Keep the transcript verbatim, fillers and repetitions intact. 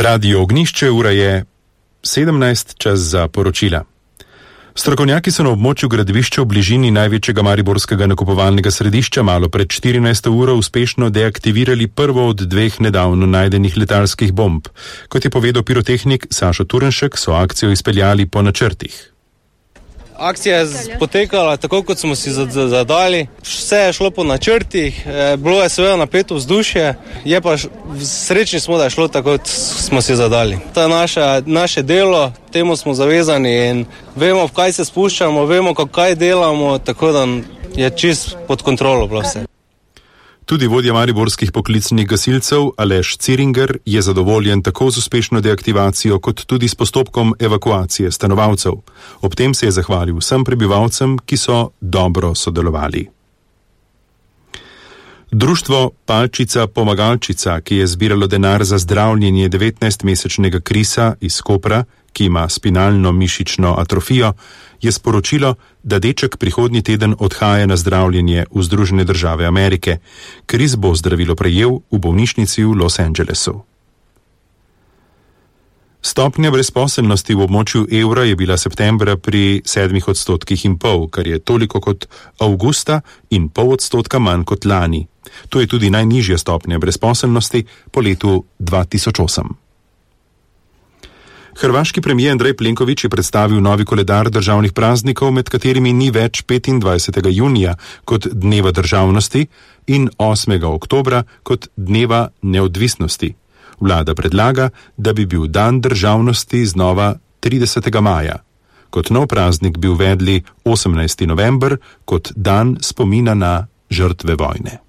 Radio Ognjišče, ura je sedemnajst, čas za poročila. Strokovnjaki so na območju gradbišča v bližini največjega mariborskega nakupovalnega središča malo pred štirinajsto uro uspešno deaktivirali prvo od dveh nedavno najdenih letalskih bomb. Kot je povedal pirotehnik Sašo Turnšek, so akcijo izpeljali po načrtih. Akcija je potekala tako, kot smo si zadali. Vse je šlo po načrtih, bilo je seveda napeto vzdušje, je pa srečni smo, da je šlo tako, kot smo si zadali. To je naše, naše delo, temu smo zavezani in vemo, v kaj se spuščamo, vemo, kaj delamo, tako da je čist pod kontrolo bilo vse. Tudi vodja mariborskih poklicnih gasilcev Aleš Ciringer je zadovoljen tako z uspešno deaktivacijo kot tudi s postopkom evakuacije stanovalcev. Ob tem se je zahvalil vsem prebivalcem, ki so dobro sodelovali. Društvo Palčica Pomagalčica, ki je zbiralo denar za zdravljenje devetnajstmesečnega Krisa iz Kopra, ki ima spinalno mišično atrofijo, je sporočilo, da deček prihodnji teden odhaja na zdravljenje v Združene države Amerike. Kris bo zdravilo prejel v bolnišnici v Los Angelesu. Stopnja brezposelnosti v območju evra je bila septembra pri sedmih odstotkih in pol, kar je toliko kot avgusta in pol odstotka manj kot lani. To je tudi najnižja stopnja brezposelnosti po letu dva tisoč osem. Hrvaški premijer Andrej Plenković je predstavil novi koledar državnih praznikov, med katerimi ni več petindvajsetega junija kot dneva državnosti in osmega oktobra kot dneva neodvisnosti. Vlada predlaga, da bi bil dan državnosti znova tridesetega maja. Kot nov praznik bi uvedli osemnajsti november kot dan spomina na žrtve vojne.